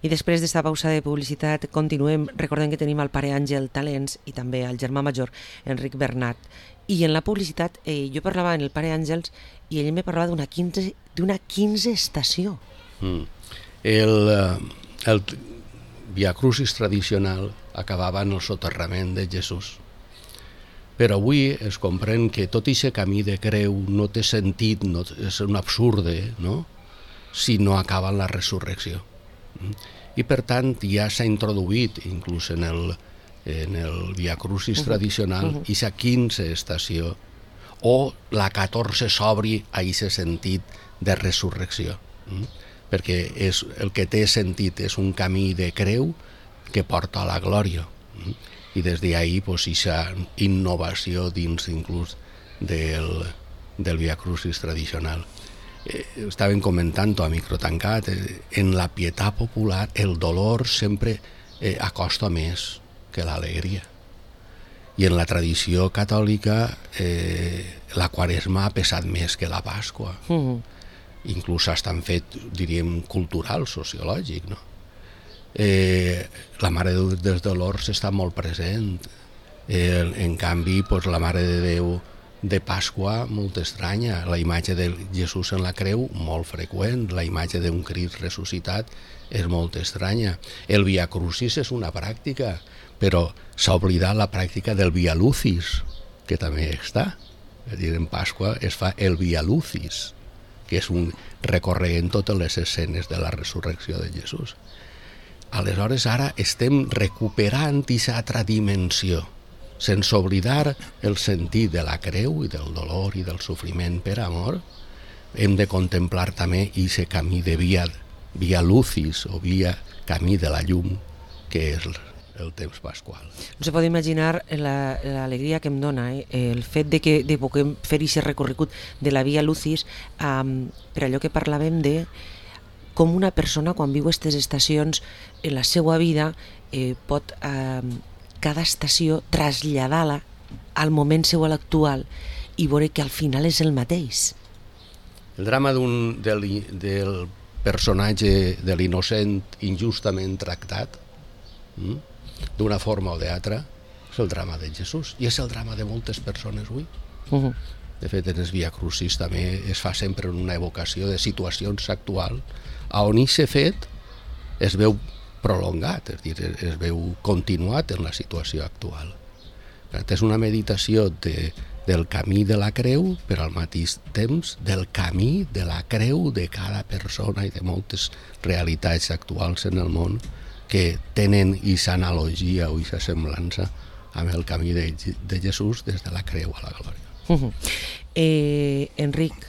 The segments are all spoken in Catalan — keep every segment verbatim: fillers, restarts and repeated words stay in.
I després d'esta pausa de publicitat continuem. Recordem que tenim el pare Àngel Talents i també el germà major Enric Bernat. I en la publicitat eh, jo parlava amb el pare Àngels i ell me parlava d'una quinze, d'una quinze estació. Mm. El, el Via Crucis tradicional acabava en el soterrament de Jesús. Però avui es comprèn que tot aquest camí de creu no té sentit, no, és un absurde, no? Si no acaba en la resurrecció. I per tant ja s'ha introduït inclús en el, en el Via Crucis tradicional uh-huh. aquesta quinze estació o la catorze s'obri a aquest sentit de resurrecció, mm? perquè és, el que té sentit és un camí de creu que porta a la glòria, mm? i des d'ahí pues, aquesta innovació dins inclús del, del Via Crucis tradicional. Eh, estaven comentant a micro tancat, eh, en la pietat popular el dolor sempre eh, acosta més que l'alegria. I en la tradició catòlica eh, la Quaresma ha pesat més que la Pasqua. Uh-huh. Inclús estan fet, diríem, cultural, sociològic, no? Eh, la Mare de Déu dels Dolors està molt present. Eh, en canvi, pues, la Mare de Déu de Pasqua, molt estranya. La imatge de Jesús en la creu, molt freqüent. La imatge d'un Crist ressuscitat és molt estranya. El Via Crucis és una pràctica, però s'ha oblidat la pràctica del Via Lucis, que també està. És a dir, en Pasqua es fa el Via Lucis, que és un recorrent totes les escenes de la resurrecció de Jesús. Aleshores, ara estem recuperant aquesta altra dimensió, sense oblidar el sentit de la creu i del dolor i del sofriment per amor. Hem de contemplar també aquest camí de via, via lucis o via camí de la llum, que és el temps pasqual. No se pot imaginar l'alegria que em dona eh? el fet de que de puguem fer aquest recorregut de la via lucis, um, per allò que parlàvem de com una persona quan viu aquestes estacions en la seva vida eh, pot eh, cada estació traslladar-la al moment seu actual i veure que al final és el mateix. El drama d'un, del, del personatge de l'innocent injustament tractat, hm? d'una forma o d'altra, és el drama de Jesús i és el drama de moltes persones avui. Uh-huh. De fet, en el Via Crucis també es fa sempre una evocació de situacions actuals on aquest fet es veu prolongat, és dir, es veu continuat en la situació actual. És una meditació de, del camí de la creu, però al mateix temps del camí de la creu de cada persona i de moltes realitats actuals en el món que tenen aquesta analogia o aquesta semblança amb el camí de, de Jesús des de la creu a la glòria. Uh-huh. eh, Enric,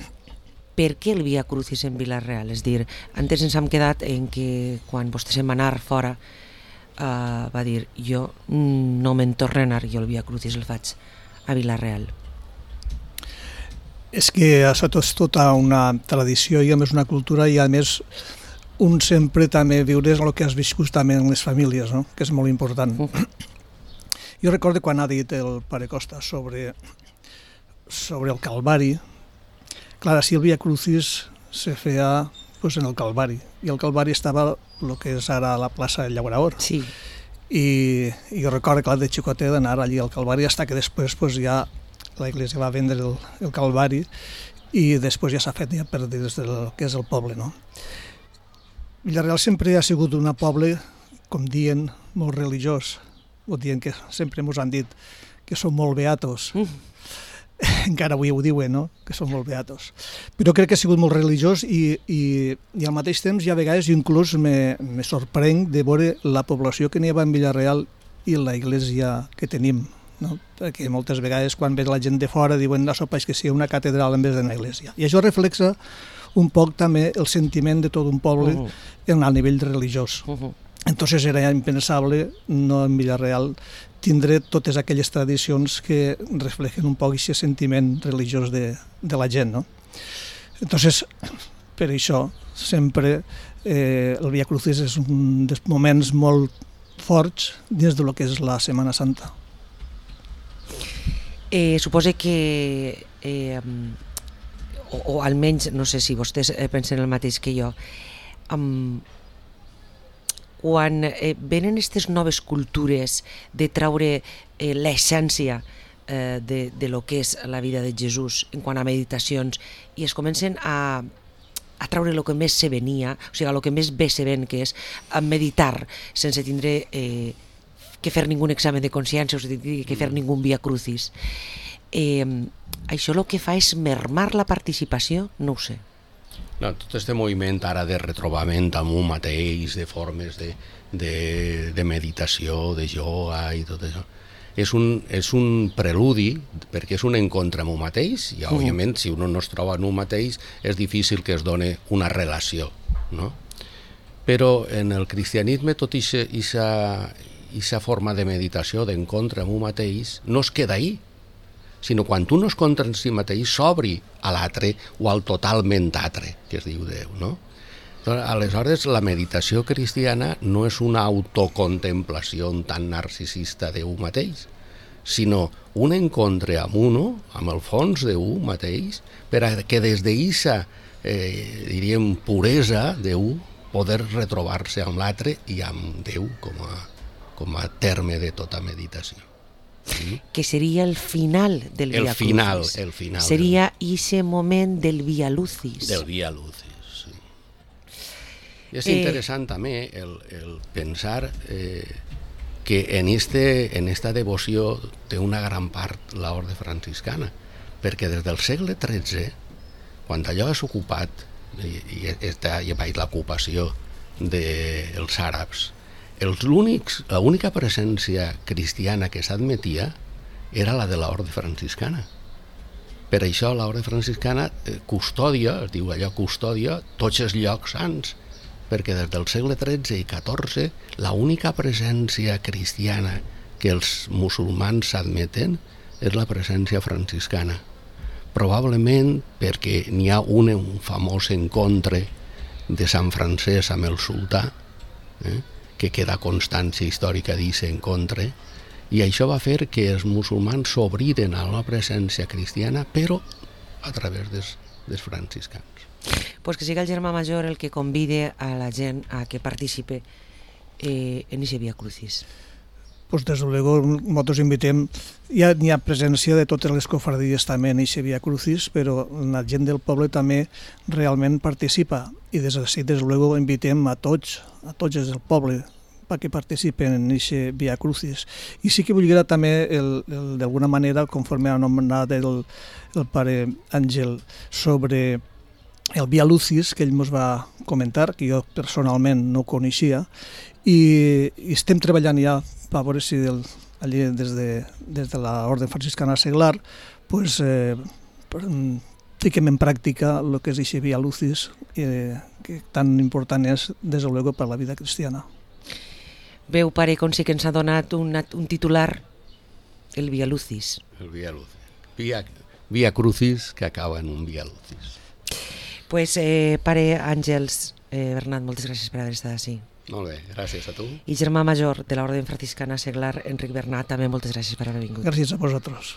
per què el Via Crucis en Vila-real? És dir, antes ens hem quedat en que quan vostè se'n va anar fora uh, va dir, jo no me'n torno a anar, jo el Via Crucis el faig a Vila-real. És que això és tota una tradició i a més una cultura i a més un sempre també viure el que has viscut també en les famílies, no? Que és molt important. Uh-huh. Jo recordo quan ha dit el pare Costa sobre, sobre el Calvari. Clar, així el Via Crucis se feia pues, en el Calvari, i el Calvari estava el que és ara la plaça del Llaurador. Sí. I, i jo recordo, clar, de xicotet d'anar allí al Calvari, fins que després pues, ja la Iglesia va vendre el, el Calvari i després ja s'ha fet ja per dins del que és el poble, no? Vila-real sempre ha sigut un poble, com diuen, molt religiós, o dient que sempre ens han dit que som molt beatos. Mm. Encara avui ho diuen, no? Que són molt beatos. Però crec que ha sigut molt religiós i, i, i al mateix temps ja a vegades inclús me, me sorprenc de veure la població que n'hi ha en Vila-real i la iglesia que tenim, no? Perquè moltes vegades quan ve la gent de fora diuen no sopais que sigui una catedral en vez d'una iglesia. I això reflexa un poc també el sentiment de tot un poble uh-huh. en el nivell religiós. Uh-huh. Entonces era impensable no en Vila-real tindre totes aquelles tradicions que reflejen un poc aquest sentiment religiós de, de la gent, no? Entonces, per això, sempre eh, el Via Crucis és un dels moments molt forts dins de lo que és la Setmana Santa. Eh, suposo que, eh, o, o almenys, no sé si vostès pensen el mateix que jo, um, quan eh, venen aquestes noves cultures de traure eh, l'essència eh, de, de lo que és la vida de Jesús en quant a meditacions i es comencen a, a traure el que més se venia, o sigui, el que més bé se ven, que és a meditar sense tindre eh, que fer ningun examen de consciència o sigui, que fer ningun via crucis. Eh, això el que fa és mermar la participació? No ho sé. No, tot aquest moviment ara de retrobament amb un mateix, de formes de, de, de meditació, de yoga i tot això, és un, és un preludi, perquè és un encontre amb un mateix, i òbviament si un no es troba en un mateix és difícil que es doni una relació, no? Però en el cristianisme tot aquesta forma de meditació, d'encontre amb un mateix, no es queda ahí, sinó quan tu no es contra en si mateix s'obri a l'altre o al totalment altre, que es diu Déu, no? Aleshores, la meditació cristiana no és una autocontemplació tan narcisista d'un mateix, sinó un encontre amb uno, amb el fons d'un mateix, per a que des d'eixa, eh, diríem, puresa d'un, poder retrobar-se amb l'altre i amb Déu com a, com a terme de tota meditació. Sí. Que seria el final del el Via final, Crucis. El final. Seria ese moment del Via Lucis. Del Via Lucis, sí. I és Eh, interessant també el, el pensar eh, que en, este, en esta devoció té una gran part l'orde franciscana, perquè des del segle tretze, quan allò és ocupat, i, i està hi ha l'ocupació dels àrabs, l'única presència cristiana que s'admetia era la de l'orde franciscana. Per això l'orde franciscana custodia, es diu allò custodia, tots els llocs sants, perquè des del segle tretze i catorze l'única presència cristiana que els musulmans s'admeten és la presència franciscana. Probablement perquè n'hi ha un, un famós encontre de Sant Francesc amb el sultà, eh? que queda constància històrica d'aquest encontre, i això va fer que els musulmans s'obriren a la presència cristiana, però a través dels, dels franciscans. Pues que siga el germà major el que convide a la gent a que participe eh, en aquest Via Crucis. Pues desde luego nosotros invitem, ja n'hi ha presència de totes les cofradies també en aquest Via Crucis, però la gent del poble també realment participa, i des d'ací des luego invitem a tots, a tots els del poble, perquè participen en aquest Via Crucis. I sí que vull dir també, d'alguna manera, conforme ha anomenat el, el pare Àngel, sobre el Via Lucis, que ell ens va comentar, que jo personalment no coneixia, i, i estem treballant ja a veure si del, allí des de, des de l'Orde Franciscana Seglar pues, eh, fiquem en pràctica el que és aquest Via Lucis, eh, que tan important és, des de luego, per la vida cristiana. Veu, pare, com sí que ens ha donat un, un titular, el Via Lucis. El Via Lucis. Via, via Crucis, que acaba en un Via Lucis. Pues, eh, pare Àngels, eh, Bernat, moltes gràcies per haver estat així. Molt bé, gràcies a tu. I germà major de l'Orde Franciscana Seglar, Enric Bernat, també moltes gràcies per haver vingut. Gràcies a vosaltres.